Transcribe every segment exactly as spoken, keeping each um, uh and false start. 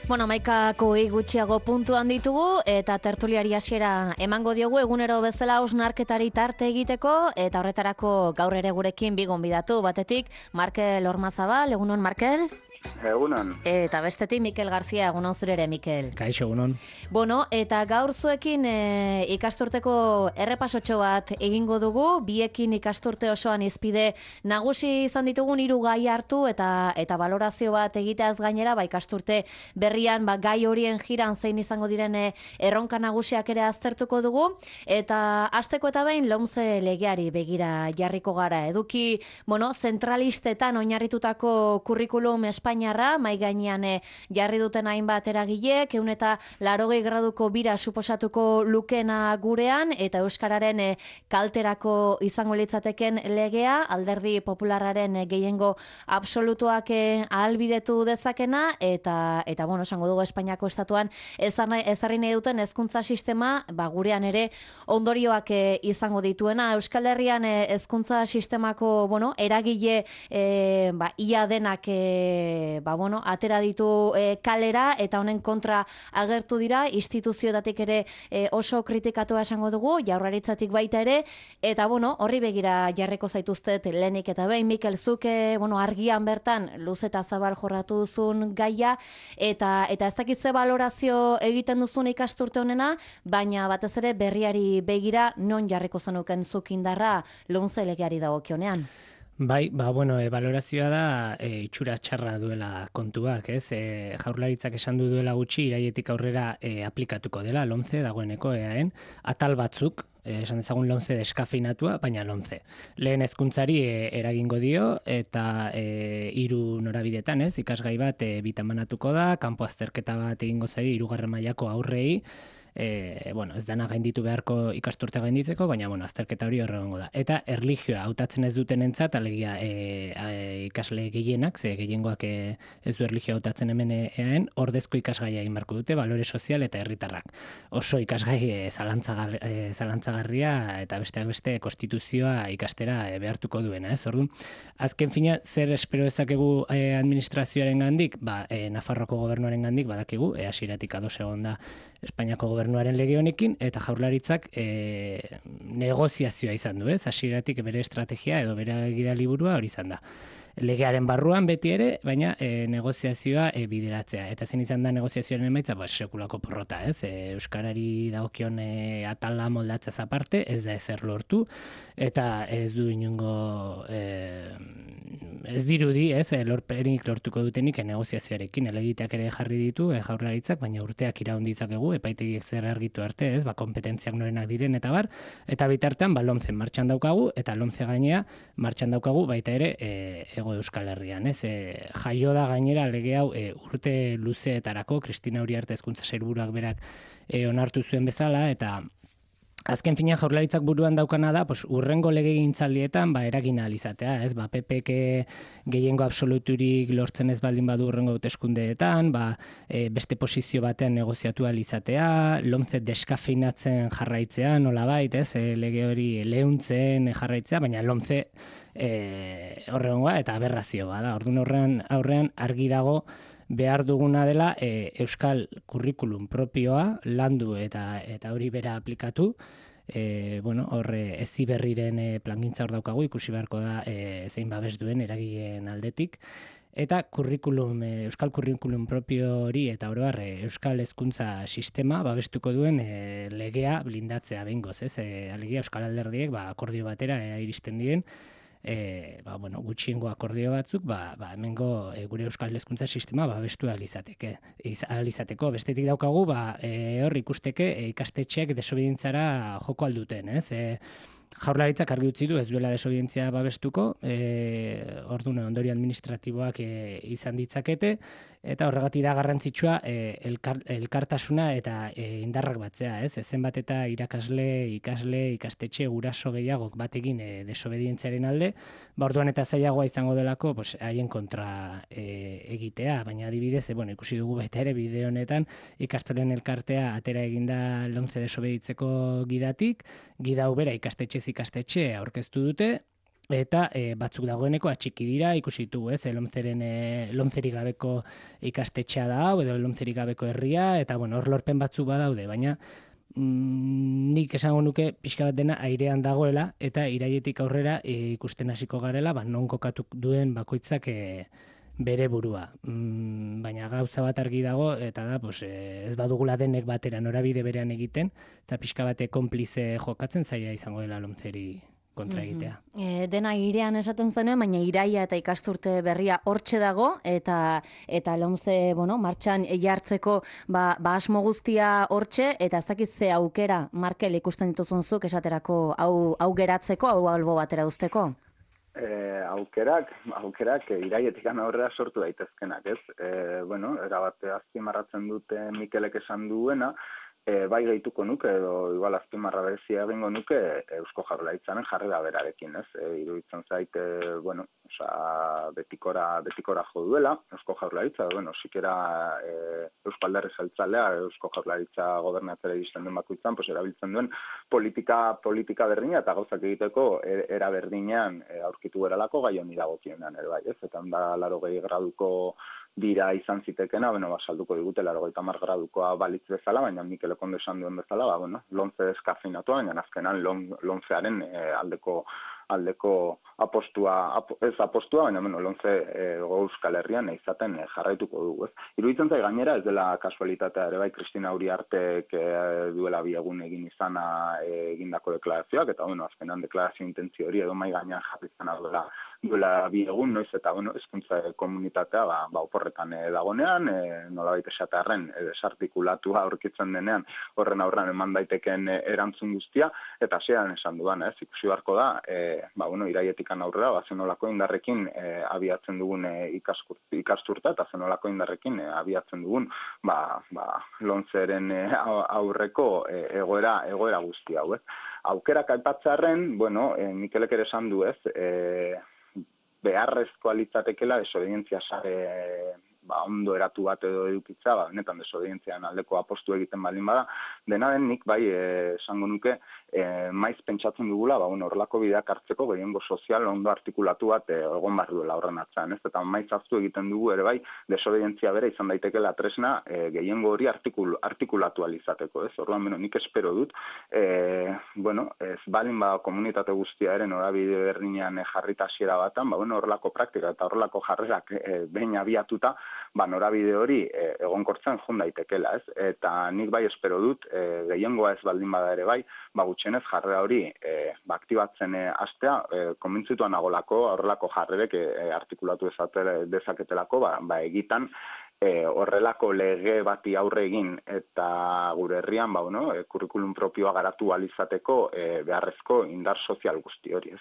Bueno, amaikako gutxiago puntuan ditugu eta tertuliari hasiera emango diogu egunero bezala hausnarketari tarte egiteko eta horretarako gaur ere gurekin bi gonbidatu. Batetik Markel Ormazabal, egunon Markel? Egunon. Eta bestetik Mikel Garzia, egunon zure ere Mikel. Kaixo, egunon. Bueno, eta gaur zuekin e, ikasturteko errepasotxo bat egingo dugu, biekin ikasturte osoan izpide nagusi izan ditugun hiru gai hartu eta eta valorazio bat egiteaz gainera, ba ikasturte berrian ba, gai horien jiran zein izango diren erronka nagusiak ere aztertuko dugu, eta hasteko eta behin lomce legeari begira jarriko gara. Eduki, bueno, zentralistetan oinarritutako kurrikulum Espainiarra, mai gainean e, jarri duten hainbat eragilek, ehun eta laurogei graduko bira suposatuko lukena gurean, eta euskararen e, kalterako izango litzateken legea, alderdi popularraren e, gehiengo absolutuak e, ahalbidetu dezakena, eta eta bueno, esango dugu Espainiako estatuan ezarri nahi duten hezkuntza sistema, ba gurean ere ondorioak e, izango dituena. Euskal Herrian e, hezkuntza sistemako, bueno, eragile e, ba, ia denak e, ba, bueno, atera ditu e, kalera eta honen kontra agertu dira, instituzioetatik ere e, oso kritikatua esango dugu, Jaurlaritzatik baita ere, eta bueno, horri begira jarriko zaituztet lehenik eta behin. Mikel, zuke, bueno, argian bertan luz eta zabal jorratu duzun gaia, eta eta ez dakit ze valorazio egiten duzun ikasturte honena, baina batez ere berriari begira non jarriko zenuken zuk indarra lomce legeari dagokionean. Bai, ba, bueno, e, valorazioa da e, itxura txarra duela kontuak, ez? E, Jaurlaritzak esan du duela gutxi, iraietik aurrera e, aplikatuko dela, lomce dagoeneko eaen, atal batzuk, e, esan dezagun lomce deskafeinatua, baina lomce. Lehen hezkuntzari e, eragingo dio, eta e, hiru norabidetan, ez? Ikasgai bat e, bitamanatuko da, kanpo azterketa bat egingo zaio hirugarren mailako aurrei, E, bueno, ez dana gainditu beharko ikasturte gainditzeko, baina bueno, azterketa hori horregongo da. Eta erlijioa hautatzen ez duten entzat, alegia e, e, ikasle gehienak, ze gehiengoak e, ez du erlijioa hautatzen hemen eaen, ordezko ikasgaia egin beharko dute, balore sozial eta herritarrak. Oso ikasgai e, zalantzagar, e, zalantzagarria eta besteak beste konstituzioa ikastera e, behartuko duena, ez? Orduan, azken fina, zer espero dezakegu e, administrazioaren gandik? Ba, e, Nafarroko gobernuaren gandik, badakigu, e, hasieratik ados egon da Espainiako gobernuaren lege honekin, eta Jaurlaritzak e, negoziazioa izan du, ez? Hasieratik bere estrategia edo bere gida liburua hori izan da. Legearen barruan beti ere, baina e, negoziazioa e, bideratzea. Eta zen izan da negoziazioaren emaitza, ba, sekulako porrota, ez? E, Euskarari dagokion e, atala moldatzez aparte, ez da ezer lortu, eta ez du inungo, e, ez dirudi, ez? E, lorperik lortuko dutenik e, negoziazioarekin, elegiteak ere jarri ditu, e, Jaurlaritzak, baina urteak iraun ditzakegu, epaitegiek zer argitu arte, ez? Ba, kompetentziak norenak diren, eta bar, eta bitartean, ba, lomce martxan daukagu, eta lomce gainea martxan daukagu, baita ere, e, ego Euskal Herrian, ez? E, jaio da gainera lege hau e, urte luzeetarako, Kristina Uriarte hezkuntza sailburuak berak e, onartu zuen bezala, eta azken finean Jaurlaritzak buruan daukana da, pues, urrengo legegintzaldietan ba, eragin ahal izatea, ez? Ba, P P K gehiengo absoluturik lortzen ez baldin badu urrengo hauteskundeetan, ba, e, beste posizio batean negoziatu ahal izatea, lomce deskafeinatzen jarraitzea, nolabait, ez? E, lege hori leuntzen jarraitzea, baina lomce E, horrengoa eta aberrazioa da. Orduan horrean aurrean argi dago behar duguna dela e, euskal kurrikulum propioa landu eta eta hori bera aplikatu. E, bueno, horre Heziberriren e, plangintza hor daukagu, ikusi beharko da e, zein babes duen eragileen aldetik. Eta kurrikulum, e, euskal kurrikulum propio hori eta oro har euskal hezkuntza sistema babestuko duen e, legea blindatzea behingoz, ez? E, alegia euskal alderdiek ba, akordio batera e, iristen diren, E, ba, bueno, gutxiengo akordio batzuk, ba, ba, hemengo e, gure euskal hezkuntza sistema babestu alizateke, alizateko. Bestetik daukagu, ba, e, hor ikusteke e, ikastetxeak desobedientzara joko alduten, ez? E, Jaurlaritzak argi utzi du ez duela desobedientzia babestuko, e, orduan ondorio administratiboak e, izan ditzakete, eta horregatik da garrantzitsua e, elkar, elkartasuna eta e, indarrak batzea, ez? Zenbat eta irakasle, ikasle, ikastetxe, guraso gehiagok batekin e, desobedientziaren alde, ba orduan eta zailagoa izango delako, pues, haien kontra e, egitea, baina adibidez, e, bueno, ikusi dugu baita ere bideo honetan ikastolen elkartea atera eginda lomce desobeditzeko gidatik, gida ubera ikastetxez ikastetxe aurkeztu dute, eta e, batzuk dagoeneko atxiki dira, ikusi ditugu, ez, lomzeren, e, lomzerik gabeko ikastetxea da hau, edo lomzerik gabeko herria, eta bueno, hor lorpen batzuk badaude, baina mm, nik esango nuke pixka bat dena airean dagoela, eta iraietik aurrera e, ikusten hasiko garela, ba, non kokatu duen bakoitzak e, bere burua. Mm, baina gauza bat argi dago, eta da, pues, e, ez badugula denek batera norabide berean egiten, eta pixka bate konplize jokatzen zaila izango dela lomzeri kontra egitea. Mm-hmm. E, dena irean esaten zenuen, baina iraia eta ikasturte berria hortxe dago, eta eta lomze, bueno, martxan jartzeko ba, ba asmo guztia hortxe, eta ez dakit ze aukera, Markel, ikusten dituzunzuk esaterako hau, hau geratzeko, hau albo batera uzteko? E, aukerak, aukerak iraietik aurrera sortu daitezkenak, ez? E, bueno, erabate azpimarratzen dute Mikelek esan duena, E, bai gehituko nuke, edo igual azpimarra berezia egingo nuke Eusko Jaurlaritzaren jarrera berarekin, ez? E, iruditzen zait, e, bueno, oza, betikora, betikora jo duela, Eusko Jaurlaritza, bueno, sikera e, Eusko Alderri Jeltzalea, Eusko Jaurlaritza gobernatzera iristen den bakoitzan, pues, erabiltzen duen politika, politika berdina eta gauzak egiteko era berdinean e, aurkitu beralako gai honi dagokienean ere bai, ez? Eta da laurogei graduko dira izan zitekena, bueno, ba, salduko digute laurogeita hamar gradukoa balitz bezala, baina Mikel Okondo esan duen bezala, ba, bueno, lomze deskafinatua, baina azkenan lomzearen e, aldeko aldeko apostua, ap, ez apostua, baina bueno, lomze e, Euskal Herrian izaten e, jarraituko dugu, ez. Iruditzen zait gainera ez dela kasualitatea ere bai, Kristina Uriartek e, duela bi egun egin izana e, egindako deklarazioak, eta bueno, azkenan deklarazio intentzio hori edo mai gainean jarri izana duela duela bi egun, noiz eta bueno, hezkuntza komunitatea ba, ba oporretan e, dagonean, e, nolabait esatearren e, desartikulatua aurkitzen denean horren aurrean eman daiteken e, erantzun guztia, eta hasieran esan dudan, ez, ikusi beharko da, e, ba, bueno, irailetikan aurrera, ba, zenolako indarrekin e, abiatzen dugun e, ikasturta, eta zenolako indarrekin e, abiatzen dugun, ba, ba, lomzeren e, aurreko e, egoera, egoera guzti hau, ez. Aukerak aipatzearren, bueno, e, Mikelek ere esan du, ez, e, beharrezkoa litzatekela desobedientzia sare ba, ondo eratu bat edo edukitza, ba, benetan desobedientzian aldeko apostu egiten baldin bada, dena den nik bai esango nuke e, maiz pentsatzen dugula, ba, bueno, horrelako bideak hartzeko gehiengo sozial ondo artikulatu bat e, egon behar duela horren atzean, ez? Eta maiz hartu egiten dugu ere bai desobedientzia bere izan daitekela tresna e, gehiengo hori artikul, artikulatu alizateko, ez? Orduan, bueno, nik espero dut, e, bueno, ez baldin ba komunitate guztia ere norabide berdinean e, jarrita hasiera batan, ba, bueno, horrelako praktika eta horrelako jarrerak e, behin abiatuta, ba, norabide hori e, egonkortzen jun daitekela, ez? Eta nik bai espero dut, e, gehiengoa ez baldin bada ere bai, ba, gutxenez jarrera hori e, ba, aktibatzen e, astea, e, konbintzituan nagolako, horrelako jarrerek e, artikulatu dezaketelako, ba, ba egitan, E, horrelako lege bati aurre egin eta gure herrian ba, bueno, e, kurrikulum propioa garatu alizateko e, beharrezko indar sozial guzti hori, ez.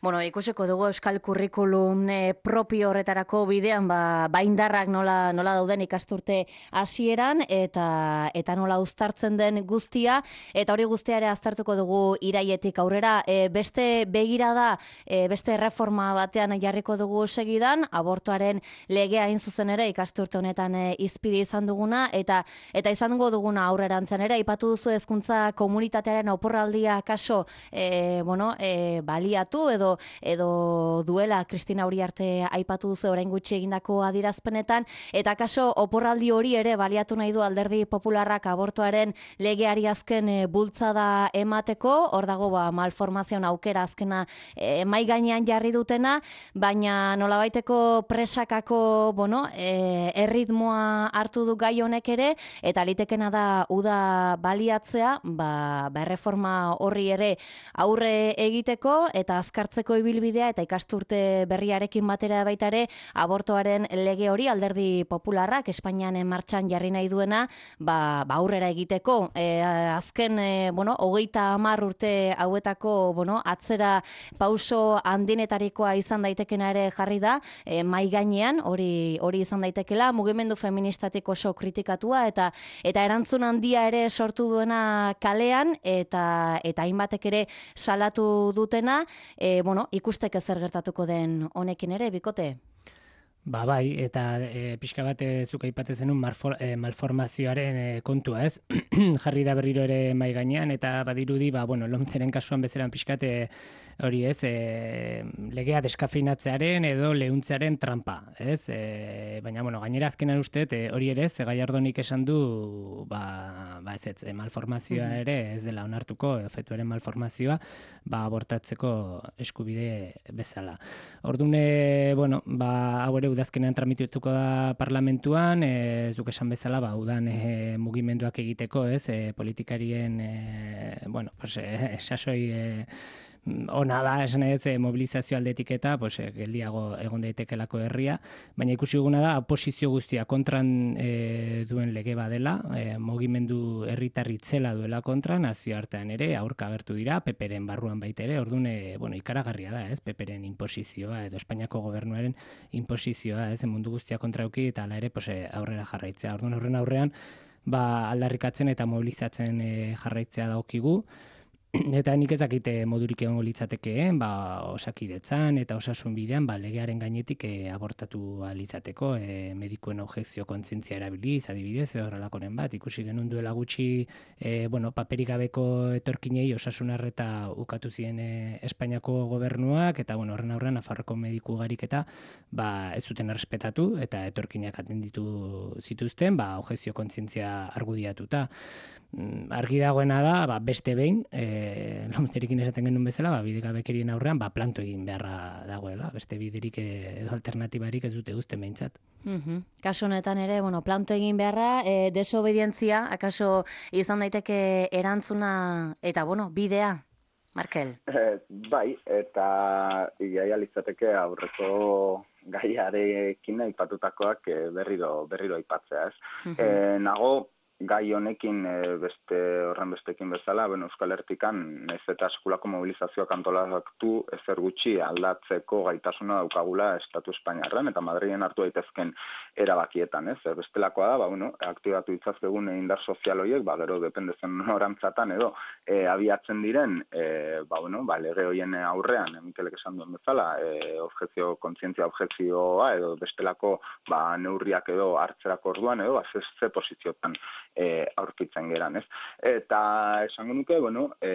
Bueno, ikusiko dugu euskal kurrikulum e, propio horretarako bidean, ba, ba indarrak nola, nola dauden ikasturte hasieran eta eta nola uztartzen den guztia, eta hori guztia ere aztertuko dugu iraietik aurrera. E, beste begirada, e, beste reforma batean jarriko dugu segidan, abortuaren legea hain zuzen ere ikasturte honetan e, izpide izan duguna, eta eta izango duguna aurrerantzen ere, aipatu duzu hezkuntza komunitatearen oporraldia kaso, e, bueno, e, baliatu edo edo duela Kristina Uriarte aipatu duzu orain gutxi egindako adierazpenetan, eta kaso oporraldi hori ere baliatu nahi du Alderdi Popularrak abortuaren legeari azken e, bultzada emateko. Hor dago ba malformazioen aukera azkena e, mai gainean jarri dutena, baina nolabaiteko presakako, bueno, e, erritmoa hartu du gai honek ere, eta litekena da uda baliatzea, ba, ba erreforma horri ere aurre egiteko eta azkartzeko ibilbidea, eta ikasturte berriarekin batera baita ere abortoaren lege hori Alderdi Popularrak Espainian martxan jarri nahi duena, ba, ba aurrera egiteko. E, azken, e, bueno, hogeita hamar urte hauetako, bueno, atzera pauso handinetarikoa izan daitekena ere jarri da, e, mai gainean hori hori izan daitekela, mugimendu feministatik oso kritikatua eta eta erantzun handia ere sortu duena kalean, eta eta hainbatek ere salatu dutena. E, bueno, ikusteke zer gertatuko den honekin ere, Bikote? Ba bai, eta e, pixka bat zuk aipatzen zenun e, malformazioaren e, kontua, ez? Jarri da berriro ere mai gainean, eta badirudi, ba, bueno, lomzeren kasuan bezeran pixkat e, hori ez, e, legea deskafeinatzearen edo lehuntzearen trampa, ez? E, baina, bueno, gainera azkenan uste, e, hori ere, ze Gallardonik esan du, ba, ba ez ez, e, malformazioa ere ez dela onartuko, efetuaren malformazioa, ba, abortatzeko eskubide bezala. Orduan, e, bueno, ba, hau ere udazkenean tramitatuko da parlamentuan, e, ez duk esan bezala, ba, udan e, mugimenduak egiteko, ez, e, politikarien, e, bueno, pues, e, sasoi, e, ona da, esan ez, mobilizazio aldetik eta pues, geldiago egon daitekelako herria, baina ikusi duguna da, oposizio guztia kontran e, duen lege badela, e, mugimendu herritar itzela duela kontra, nazioartean ere, aurka agertu dira, peperen barruan baita ere, orduan, e, bueno, ikaragarria da, ez, peperen inposizioa, edo Espainiako gobernuaren inposizioa, ez, mundu guztia kontrauki, eta ala ere, pues, aurrera jarraitzea. Orduan, horren aurrean, ba, aldarrikatzen eta mobilizatzen e, jarraitzea dagokigu, eta nik ez dakite modurik egongo litzatekeen, ba, osakidetzan eta osasun bidean, ba, legearen gainetik e, abortatu litzateko, e, medikuen objekzio kontzientzia erabiliz, adibidez, horrelakoren bat, ikusi genuen duela gutxi, e, bueno, paperik gabeko etorkinei osasun arreta ukatu ziren e, Espainiako gobernuak, eta, bueno, horren aurrean, Nafarroko mediku garik eta, ba, ez zuten errespetatu, eta etorkinak atenditu zituzten, ba, objekzio kontzientzia argudiatuta. Argi dagoena da, ba, beste behin, e, lomzerikin esaten genuen bezala, ba, bidegabekerien aurrean, ba, planto egin beharra dagoela. Beste biderik edo alternatibarik ez dute guzten behintzat. Mm-hmm. Kasu honetan ere, bueno, planto egin beharra, e, desobedientzia, akaso izan daiteke erantzuna, eta, bueno, bidea, Markel? Eh, bai, eta igaia litzateke aurreko gaiarekin aipatutakoak berriro, berriro aipatzea, ez? Mm-hmm. E, nago, gai honekin beste horren bestekin bezala, ben Euskal Herrikan ez eta sekulako mobilizazioak antolatu ezer gutxi aldatzeko gaitasuna daukagula Estatu Espainiarren eta Madrilen hartu daitezken erabakietan, ez? Bestelakoa da, ba, bueno, aktibatu ditzazkegun indar sozial horiek, ba, gero dependezen norantzatan edo e, abiatzen diren, e, ba, bueno, ba, lege horien aurrean, Mikelek esan duen bezala, e, objekzio, kontzientzia objekzioa edo bestelako ba, neurriak edo hartzerako orduan edo, ba, ze, ze posiziotan E, aurkitzen geran, ez? Eta esango nuke, bueno, e,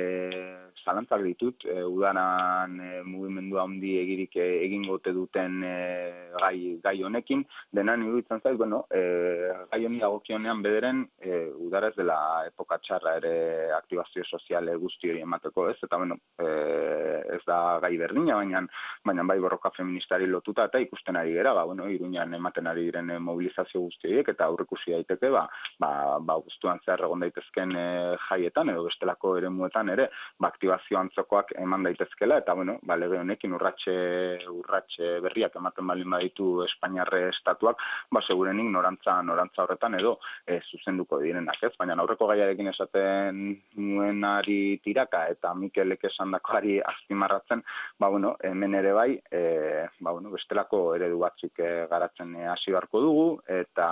zalantzak ditut, e, udanan e, mugimendu handi egirik e, egingote duten e, gai, gai honekin, denan iruditzen zait, bueno, e, gai honi dagokionean bederen, e, udara ez dela epoka txarra ere aktibazio soziale guzti hori emateko, ez? Eta, bueno, e, ez da gai berdina, baina, baina bai borroka feministari lotuta eta ikusten ari gera, ba, bueno, Iruñan ematen ari diren mobilizazio guzti horiek, eta aurrekusi daiteke, ba, ba, ba, guztuan zehar egon daitezken e, jaietan edo bestelako eremuetan ere ba, aktibazio antzokoak eman daitezkela eta bueno, ba, lege honekin urratxe, urratxe berriak ematen balin baditu Espainiarre estatuak, ba, segurenik norantza, norantza horretan edo e, zuzenduko direnak, ez? Baina aurreko gaiarekin esaten nuenari tiraka eta Mikelek esandakoari azpimarratzen, ba, bueno, hemen ere bai, e, ba, bueno, bestelako eredu batzuk e, garatzen hasi beharko dugu eta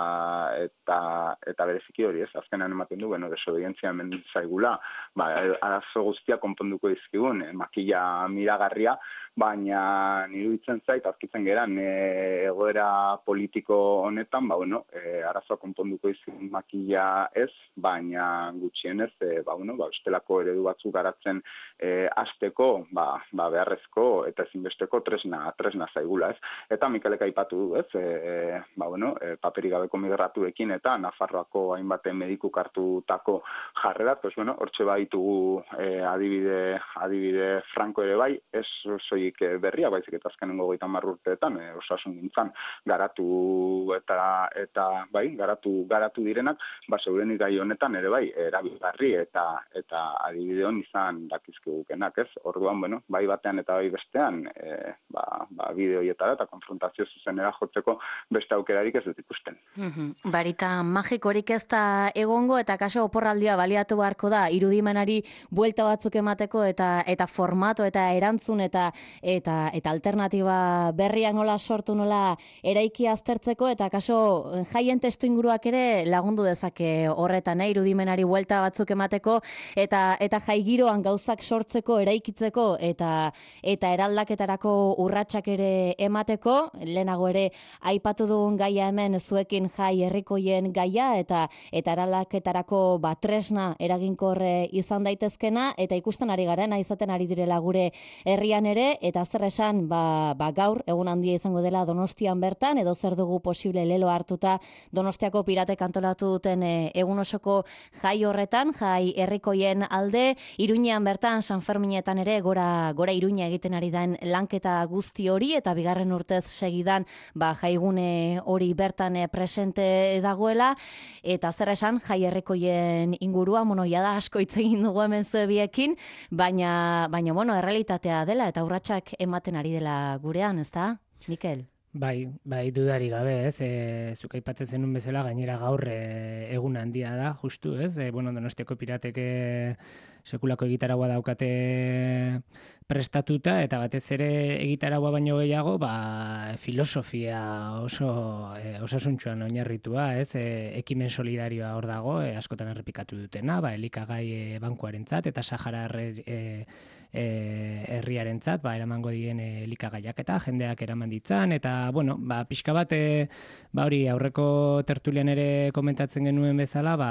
eta eta bereziki hori, ez? Azkenan ematen du, bueno, desobedientzia hemen zaigula, ba, arazo guztia konponduko dizkigun, eh, makila miragarria, baina niruditzen zait, azkitzen geran, e, egoera politiko honetan, ba, bueno, e, arazoa konponduko dizkigun makila ez, baina gutxienez, e, ba, bueno, ba, bestelako eredu batzuk garatzen e, hasteko, ba, ba, beharrezko eta ezinbesteko tresna, tresna zaigula, ez? Eta Mikelek aipatu du, ez? E, ba, bueno, e, paperik gabeko migratuekin eta Nafarroako hainbat medikuk hartutako jarrerat, pues bueno, hortxe baitugu eh, adibide, adibide franko ere bai, ez soilik berria, baizik eta azkenengo hogeita hamar urteetan, e, osasun gintzan garatu eta eta bai, garatu garatu direnak, ba segurenik gai honetan ere bai, erabilgarri eta eta adibide hon izan dakizkigukenak, ez? Orduan, bueno, bai batean eta bai bestean, e, ba, ba bide horietara eta konfrontazio zuzenera jotzeko beste aukerarik ez dut ikusten. Mm-hmm. Barita magikorik ez da egongo eta kaso oporraldia baliatu beharko da irudimenari buelta batzuk emateko eta eta formato eta erantzun eta eta eta alternatiba berriak nola sortu nola eraiki aztertzeko eta kaso jaien testuinguruak ere lagundu dezake horretan, eh? Irudimenari buelta batzuk emateko eta eta jai giroan gauzak sortzeko, eraikitzeko eta eta eraldaketarako urratsak ere emateko, lehenago ere aipatu dugun gaia hemen zuekin jai herrikoien gaia eta eta eta eraldaketarako ba, tresna eraginkorre izan daitezkena, eta ikusten ari garena izaten ari direla gure herrian ere, eta zer esan ba, ba, gaur egun handia izango dela Donostian bertan, edo zer dugu posible lelo hartuta Donostiako piratek antolatu duten e, egun osoko jai horretan, jai herrikoien alde, Iruñean bertan, San Ferminetan ere, gora, gora Iruña egiten ari den lanketa guzti hori, eta bigarren urtez segidan ba, jaigune hori bertan e, presente dagoela, eta zer esan, jai herrikoien ingurua, bueno, jada asko hitz egin dugu hemen zuebiekin, baina, baina, bueno, errealitatea dela, eta urratsak ematen ari dela gurean, ezta, Mikel? Bai, bai, dudari gabe, ez, e, zuk aipatzen zenun bezala, gainera gaur e, egun handia da, justu, ez, e, bueno, Donostiako piratek e, sekulako egitaragua daukate prestatuta, eta batez ere egitaragua baino gehiago, ba, filosofia oso e, osasuntsuan oinarritua, ez, e, ekimen solidarioa hor dago, e, askotan errepikatu dutena, ba, elikagai e, bankuarentzat eta Sahara e, E, herriarentzat, ba, eramango dien e, elikagaiak eta jendeak eraman ditzan, eta, bueno, ba, pixka bat, e, ba, hori, aurreko tertulian ere komentatzen genuen bezala, ba,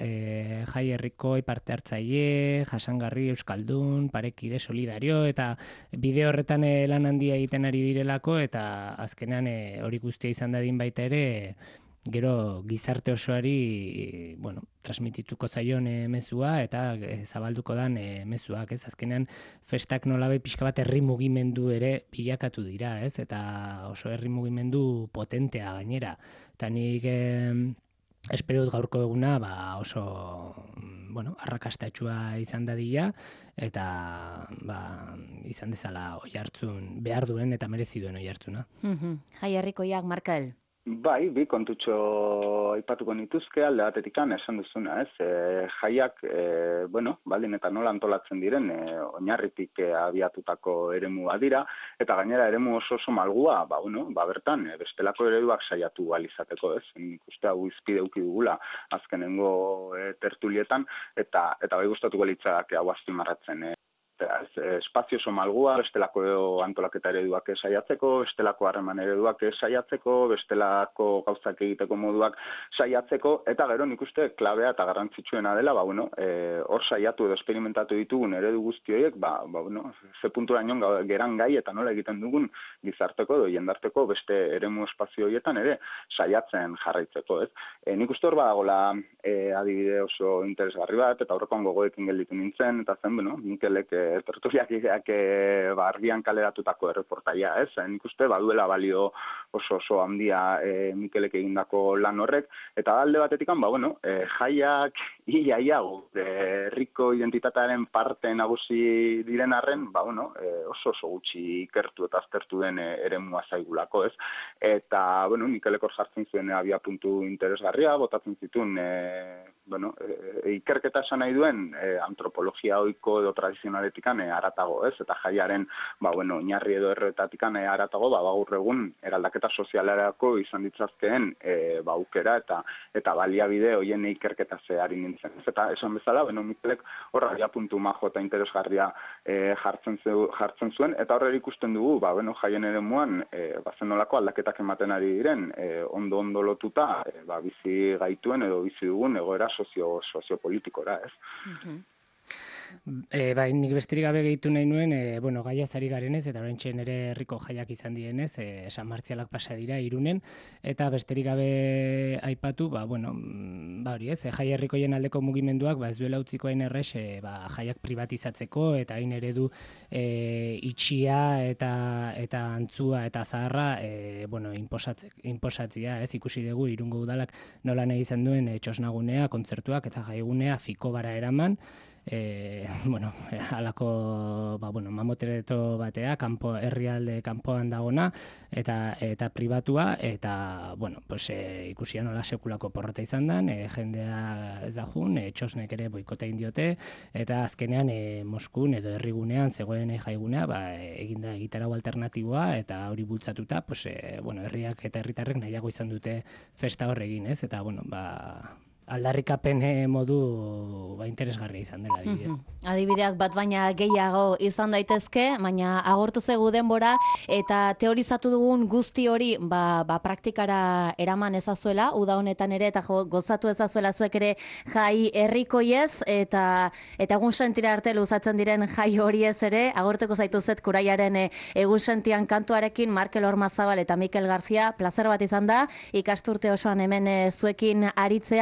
e, jai herrikoi parte hartzaile, jasangarri, euskaldun, parekide, solidario, eta bide horretan e, lan handia egiten ari direlako, eta azkenean e, hori guztia izan dadin baita ere, gero gizarte osoari, bueno, transmitituko zaion e, mezua eta e, zabalduko dan e, mezuak, ez? Azkenean festak nolabai pixka bat herri mugimendu ere bilakatu dira, ez? Eta oso herri mugimendu potentea gainera. Eta nik e, espero dut gaurko eguna ba, oso bueno, arrakastatsua izan dadila eta ba, izan dezala oihartzun behar duen eta merezi duen oihartzuna. Mm-hmm. Jai herrikoiak, Markel. Bai, bi kontutxo aipatuko nituzke alde batetikan esan duzuna, ez? E, jaiak, e, bueno, baldin eta nola antolatzen diren, e, oinarritik e, abiatutako eremua dira, eta gainera eremu oso oso malgua, ba, bueno, ba, bertan, e, bestelako ereduak saiatu alizateko, ez? Nik uste hau izpide uki dugula azkenengo e, tertulietan, eta, eta bai gustatuko litzak hau azpimarratzen, e. Espazio oso malgua, bestelako antolaketa ereduak saiatzeko, bestelako harreman ereduak saiatzeko, bestelako gauzak egiteko moduak saiatzeko, eta gero nik uste klabea eta garrantzitsuena dela, ba, bueno, e, hor saiatu edo esperimentatu ditugun eredu guzti horiek, ba, ba, bueno, ze puntura nion geran gai eta nola egiten dugun gizarteko edo jendarteko beste eremu espazio horietan ere saiatzen jarraitzeko, ez? E, nik uste hor badagola e, adibide oso interesgarri bat, eta horrekoan gogoekin gelditu nintzen, eta zen, bueno, Mikelek e, tertuliak ideak e, ba, argian kaleratutako erreportaia, ez? Nik uste baduela balio oso oso handia e, Mikelek egindako lan horrek, eta alde batetikan, ba, bueno, e, jaiak ia ia herriko identitatearen parte nagusi diren arren, ba, bueno, e, oso oso gutxi ikertu eta aztertu den e, eremua zaigulako, ez? Eta, bueno, Mikelek hor jartzen zuen e, abia puntu interesgarria, botatzen zituen e, bueno, e, ikerketa esan nahi duen e, antropologia ohiko edo tradizionaletikan e, aratago, ez? Eta jaiaren, ba, bueno, oinarri edo erretatikan e, aratago, ba, gaur egun eraldaketa sozialerako izan ditzazkeen e, ba, aukera eta eta baliabide hoien ikerketa zehari nintzen. Eta esan bezala, bueno, Mikelek horra ja puntu majo eta interesgarria e, jartzen, zu, jartzen zuen, eta horre ikusten dugu, ba, bueno, jaien eremuan, e, ba, zenolako aldaketak ematen ari diren, e, ondo-ondo lotuta, e, ba, bizi gaituen edo bizi dugun egoera sozio soziopolitikora, ez? Mm-hmm. E, bai, nik besterik gabe gehitu nahi nuen, e, bueno, gaia zari garenez, eta oraintxe ere herriko jaiak izan dienez, e, San Martzialak pasa dira Irunen, eta besterik gabe aipatu, ba, bueno, ba hori ez, e, jai herrikoien aldeko mugimenduak, ba ez duela utziko hain errex, e, ba, jaiak privatizatzeko, eta hain eredu e, itxia eta eta antzua eta zaharra, e, bueno, inposatzea, ez, ikusi dugu Irungo udalak nola nahi izan duen e, txosnagunea, kontzertuak eta jaigunea fikobara eraman, E, bueno, halako ba, bueno, mamotereto batea, kanpo, herrialde kanpoan dagona, eta eta pribatua, eta, bueno, pues, e, ikusia nola sekulako porrota izan den, e, jendea ez da jun, e, txosnek ere boikota indiote, eta azkenean e, Moskun edo herrigunean zegoen e, jaigunea, ba, e, eginda egitarau alternatiboa, eta hori bultzatuta, pues, e, bueno, herriak eta herritarrek nahiago izan dute festa horregin, ez? Eta, bueno, ba, aldarrikapen modu ba, interesgarria izan dela, adibidez. Mm-hmm. Adibideak bat baina gehiago izan daitezke, baina agortu zegu denbora, eta teorizatu dugun guzti hori ba, ba, praktikara eraman ezazuela, uda honetan ere, eta jo, gozatu ezazuela zuek ere jai herrikoiez, eta eta egun sentira arte luzatzen diren jai horiez ere, agorteko zaituzet Kuraiaren e, egun sentian kantuarekin Markel Ormazabal eta Mikel Garzia, plazer bat izan da, ikasturte osoan hemen e, zuekin aritzea.